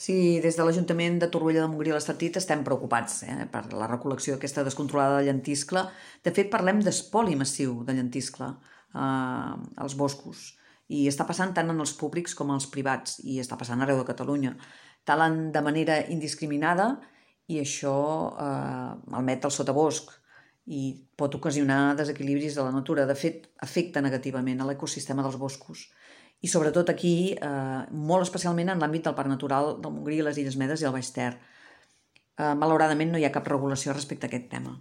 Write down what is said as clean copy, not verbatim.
Sí, des de l'Ajuntament de Torroella de Montgrí a l'Estartit estem preocupats per la recol·lecció aquesta descontrolada de llentiscle. De fet, parlem d'espoli massiu de llentiscle als boscos. I està passant tant en els públics com en els privats, i està passant arreu de Catalunya. Talen de manera indiscriminada i això malmet el sotabosc i pot ocasionar desequilibris de la natura. De fet, afecta negativament a l'ecosistema dels boscos. I sobretot aquí, molt especialment en l'àmbit del Parc Natural del Montgrí, les Illes Medes i el Baix Ter. Malauradament no hi ha cap regulació respecte a aquest tema.